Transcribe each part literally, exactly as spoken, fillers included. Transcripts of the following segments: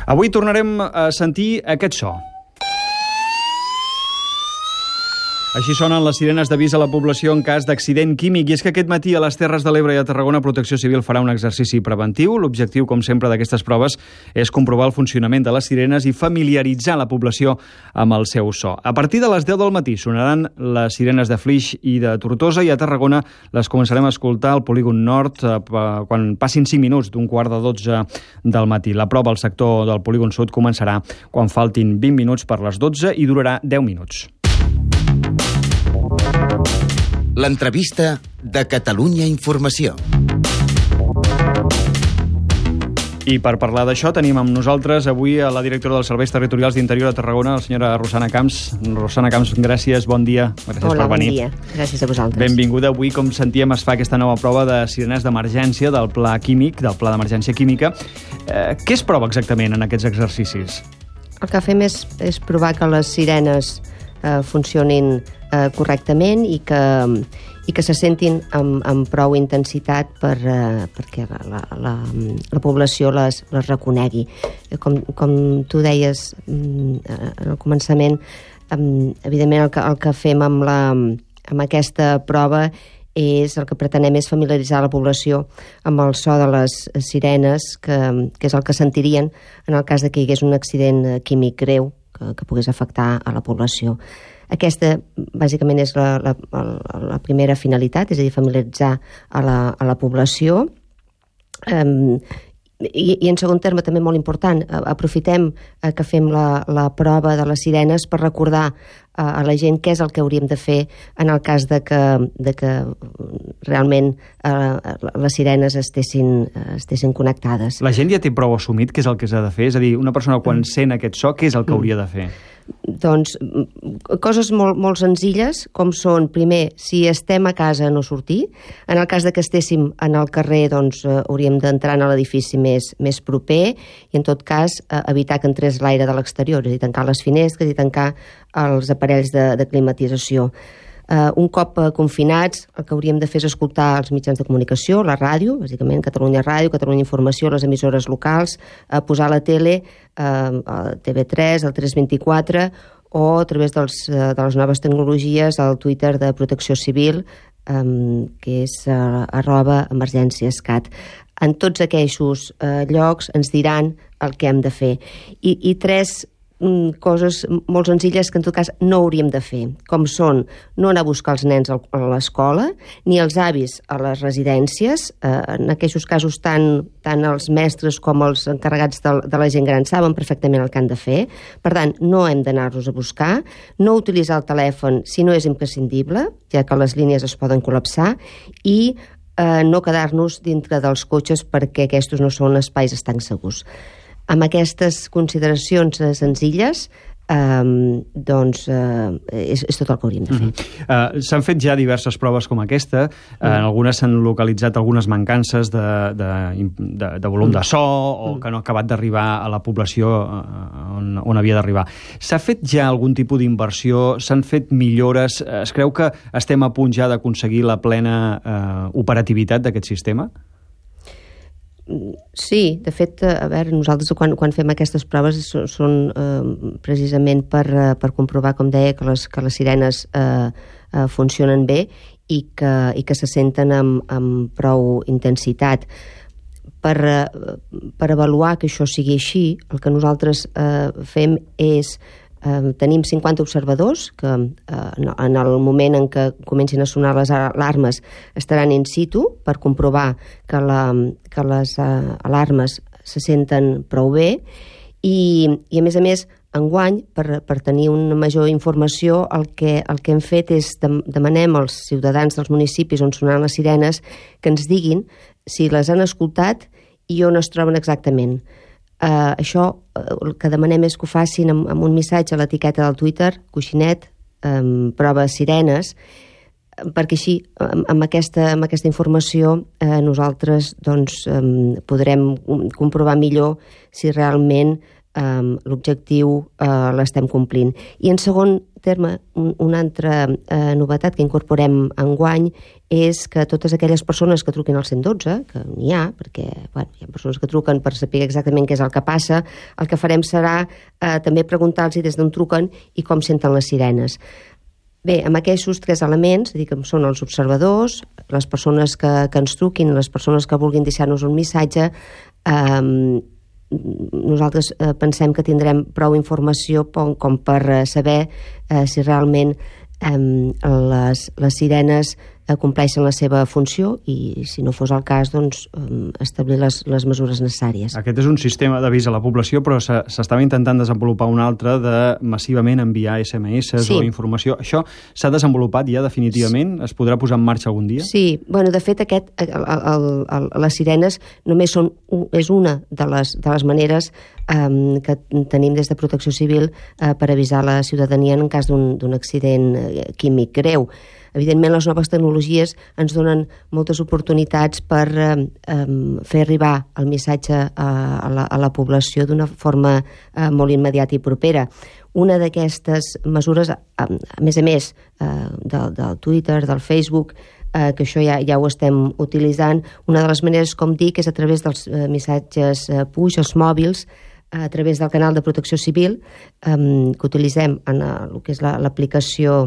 Avui tornarem a sentir aquest so. Així sonen les sirenes d'avís a la població en cas d'accident químic. I és que aquest matí a les Terres de l'Ebre i a Tarragona Protecció Civil farà un exercici preventiu. L'objectiu, com sempre, d'aquestes proves és comprovar el funcionament de les sirenes i familiaritzar la població amb el seu so. A partir de les deu del matí sonaran les sirenes de Flix i de Tortosa i a Tarragona les començarem a escoltar al polígon nord eh, quan passin cinc minuts d'un quart de dotze del matí. La prova al sector del polígon sud començarà quan faltin vint minuts per les dotze i durarà deu minuts. L'entrevista de Catalunya Informació. I per parlar d'això tenim amb nosaltres avui a la directora dels Serveis Territorials d'Interior a Tarragona, la senyora Rosana Camps. Rosana Camps, gràcies, bon dia. Gràcies Hola, per venir. bon dia. Gràcies a vosaltres. Benvinguda. Avui, com sentíem, es fa aquesta nova prova de sirenes d'emergència del Pla Químic, del Pla d'Emergència Química. Eh, què es prova exactament en aquests exercicis? El que fem és, és provar que les sirenes eh, funcionin eh, correctament i que, i que se sentin amb, amb prou intensitat per, eh, perquè la, la, la, la població les, les reconegui. Com, com tu deies eh, al començament, eh, evidentment el que, el que fem amb, la, amb aquesta prova és el que pretenem és familiaritzar la població amb el so de les sirenes, que, que és el que sentirien en el cas de que hi hagués un accident químic greu que, que pogués afectar a la població. Aquesta, bàsicament, és la, la, la primera finalitat, és a dir, familiaritzar a la, a la població. Um, i, I en segon terme, també molt important, aprofitem que fem la, la prova de les sirenes per recordar a la gent què és el que hauríem de fer en el cas de que, de que realment eh, les sirenes estessin, estessin connectades. La gent ja té prou assumit què és el que s'ha de fer? És a dir, una persona quan mm. sent aquest so, què és el que hauria de fer? Doncs coses molt, molt senzilles, com són, primer, si estem a casa no sortir. En el cas de que estéssim en el carrer, doncs eh, hauríem d'entrar a l'edifici més, més proper i, en tot cas, eh, evitar que entrés l'aire de l'exterior, és a dir, tancar les finestres i tancar els aparells de, de climatització. Uh, un cop uh, confinats, el que hauríem de fer és escoltar els mitjans de comunicació, la ràdio, bàsicament Catalunya Ràdio, Catalunya Informació, les emissores locals, uh, posar la tele, uh, T V tres, el tres vint-i-quatre, o a través dels, uh, de les noves tecnologies, el Twitter de Protecció Civil, um, que és uh, arroba emergènciescat. En tots aquells uh, llocs ens diran el que hem de fer. I, i tres coses molt senzilles que en tot cas no hauríem de fer, com són no anar a buscar els nens a l'escola, ni els avis a les residències. En aquests casos tant, tant els mestres com els encarregats de, de la gent gran saben perfectament el que han de fer. Per tant, no hem d'anar-los a buscar, no utilitzar el telèfon si no és imprescindible, ja que les línies es poden col·lapsar, i eh, no quedar-nos dintre dels cotxes perquè aquests no són espais estancs segurs. Amb aquestes consideracions eh, senzilles, eh, doncs eh, és, és tot el que hauríem de fer. Mm-hmm. uh, S'han fet ja diverses proves com aquesta, uh, mm. en algunes s'han localitzat algunes mancances de, de, de, de volum mm. de so o mm. que no ha acabat d'arribar a la població uh, on, on havia d'arribar. S'ha fet ja algun tipus d'inversió? S'han fet millores? Es creu que estem a punt ja d'aconseguir la plena uh, operativitat d'aquest sistema? Sí, de fet, a veure, nosaltres quan, quan fem aquestes proves són, són eh, precisament per, per comprovar, com deia, que les, que les sirenes eh, eh, funcionen bé i que, i que se senten amb, amb prou intensitat. Per, eh, per avaluar que això sigui així, el que nosaltres eh, fem és Uh, tenim cinquanta observadors que uh, en el moment en què comencin a sonar les alarmes estaran in situ per comprovar que, la, que les uh, alarmes se senten prou bé i, i a més a més enguany, per, per tenir una major informació, el que, el que hem fet és de, demanem als ciutadans dels municipis on sonaran les sirenes que ens diguin si les han escoltat i on es troben exactament. Uh, això uh, el que demanem és que ho facin amb, amb un missatge a l'etiqueta del Twitter, coixinet, um, prova sirenes, perquè així, amb, amb, aquesta, amb aquesta informació, eh, nosaltres doncs, um, podrem comprovar millor si realment um, l'objectiu uh, l'estem complint. I en segon terme, un, una altra eh, novetat que incorporem enguany és que totes aquelles persones que truquin al cent dotze, que n'hi ha, perquè bueno, hi ha persones que truquen per saber exactament què és el que passa, el que farem serà eh, també preguntar-los des d'on truquen i com senten les sirenes. Bé, amb aquests tres elements, és a dir, que són els observadors, les persones que, que ens truquin, les persones que vulguin deixar-nos un missatge, eh, nosaltres eh, pensem que tindrem prou informació com, com per eh, saber eh, si realment eh, les, les sirenes eh, compleixen la seva funció i, si no fos el cas, doncs, eh, establir les, les mesures necessàries. Aquest és un sistema d'avís a la població, però s'estava intentant desenvolupar un altre de massivament enviar esse eme esse sí. o informació. Això s'ha desenvolupat ja definitivament? Sí. Es podrà posar en marxa algun dia? Sí, bueno, de fet, aquest, el, el, el, les sirenes només són, és una de les, de les maneres um, que tenim des de Protecció Civil uh, per avisar la ciutadania en cas d'un accident químic greu. Evidentment, les noves tecnologies ens donen moltes oportunitats per eh, fer arribar el missatge a, a, la, a la població d'una forma eh, molt immediata i propera. Una d'aquestes mesures, a, a més a més eh, del, del Twitter, del Facebook, eh, que això ja, ja ho estem utilitzant, una de les maneres, com dic, és a través dels eh, missatges eh, push, els mòbils, a través del canal de Protecció Civil, eh, que utilitzem en el que és l'aplicació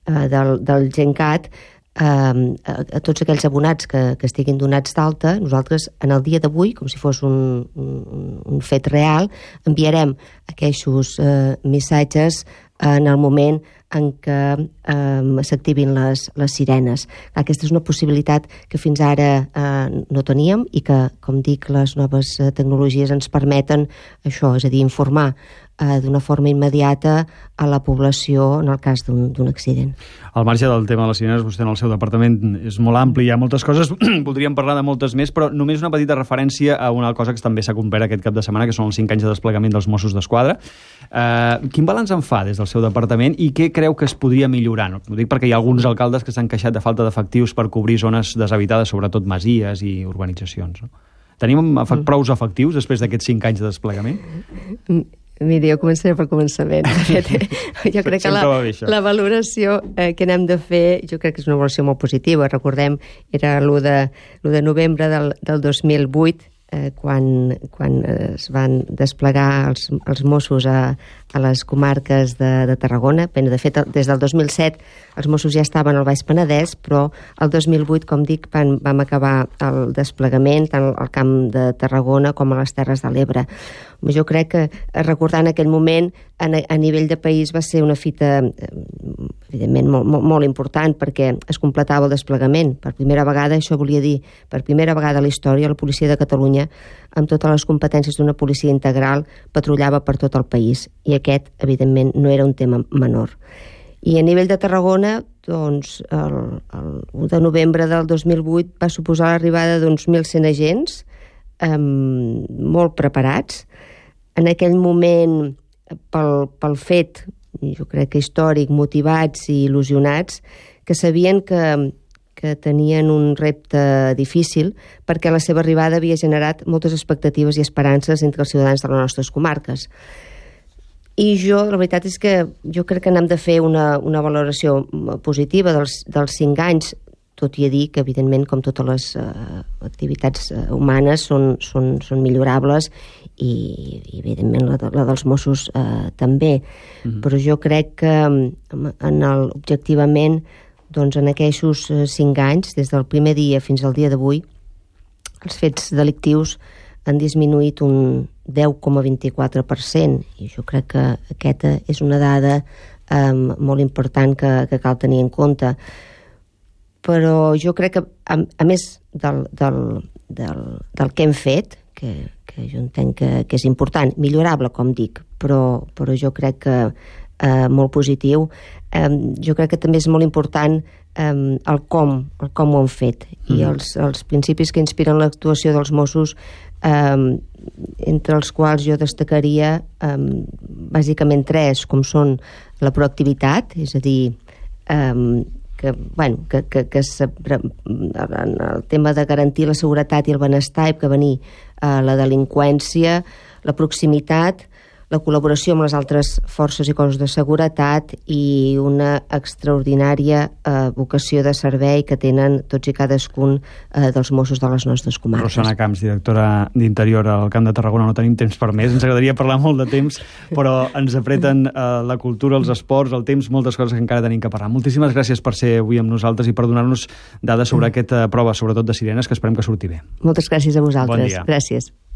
la, del, del GenCat, eh, a, a tots aquells abonats que, que estiguin donats d'alta, nosaltres en el dia d'avui, com si fos un, un, un fet real, enviarem aquests eh, missatges en el moment en què eh, s'activin les, les sirenes. Aquesta és una possibilitat que fins ara eh, no teníem i que, com dic, les noves eh, tecnologies ens permeten això, és a dir, informar eh, d'una forma immediata a la població en el cas d'un accident. Al marge del tema de les sirenes, vostè en el seu departament és molt ampli, hi ha moltes coses, podríem parlar de moltes més, però només una petita referència a una cosa que també s'ha complert aquest cap de setmana, que són els cinc anys de desplegament dels Mossos d'Esquadra. Eh, quin balanç en fa des del seu departament i què creu que es podria millorar? No? Ho dic perquè hi ha alguns alcaldes que s'han queixat de falta d'efectius per cobrir zones deshabitades, sobretot masies i urbanitzacions. No? Tenim efect, prous efectius després d'aquests cinc anys de desplegament? Miri, jo començaré pel començament. De fet, jo crec que la, la valoració eh, que n'hem de fer, jo crec que és una valoració molt positiva. Recordem, era l'u de, l'u de novembre del, del dos mil vuit, eh, quan, quan es van desplegar els, els Mossos a, a les comarques de, de Tarragona. De fet, des del dos mil set els Mossos ja estaven al Baix Penedès, però el dos mil vuit, com dic, van, vam acabar el desplegament tant al Camp de Tarragona com a les Terres de l'Ebre. Jo crec que, recordant aquell moment, a, a nivell de país va ser una fita, evidentment, molt, molt, molt important, perquè es completava el desplegament. Per primera vegada, això volia dir, per primera vegada a la història, la policia de Catalunya, amb totes les competències d'una policia integral, patrullava per tot el país. I aquest, evidentment, no era un tema menor. I a nivell de Tarragona, doncs, el, el u de novembre del dos mil vuit va suposar l'arribada d'uns mil cent agents, eh, molt preparats. En aquell moment, pel, pel fet, jo crec que històric, motivats i il·lusionats, que sabien que, que tenien un repte difícil perquè la seva arribada havia generat moltes expectatives i esperances entre els ciutadans de les nostres comarques. I jo, la veritat és que jo crec que n'hem de fer una, una valoració positiva dels, dels cinc anys, tot i a dir que, evidentment, com totes les uh, activitats uh, humanes, són, són, són millorables i, i evidentment, la, de, la dels Mossos uh, també. Mm-hmm. Però jo crec que, en el, objectivament, doncs, en aquests uh, cinc anys, des del primer dia fins al dia d'avui, els fets delictius han disminuït un deu coma vint-i-quatre per cent, i jo crec que aquesta és una dada um, molt important que, que cal tenir en compte. Però jo crec que, a, a més del, del, del, del que hem fet, que, que jo entenc que, que és important, millorable, com dic, però, però jo crec que eh, molt positiu, eh, jo crec que també és molt important eh, el com, el com ho han fet, mm. i els, els principis que inspiren l'actuació dels Mossos, eh, entre els quals jo destacaria eh, bàsicament tres, com són la proactivitat, és a dir, eh, que, bueno, que, que, que se, en el tema de garantir la seguretat i el benestar i prevenir eh, la delinqüència, la proximitat, la col·laboració amb les altres forces i cossos de seguretat i una extraordinària eh, vocació de servei que tenen tots i cadascun eh, dels Mossos de les nostres comarques. Rosana Camps, directora d'Interior al Camp de Tarragona, no tenim temps per més, ens agradaria parlar molt de temps, però ens apreten eh, la cultura, els esports, el temps, moltes coses que encara tenim que parlar. Moltíssimes gràcies per ser avui amb nosaltres i per donar-nos dades sobre mm. aquesta prova, sobretot de sirenes, que esperem que surti bé. Moltes gràcies a vosaltres. Bon dia. Gràcies.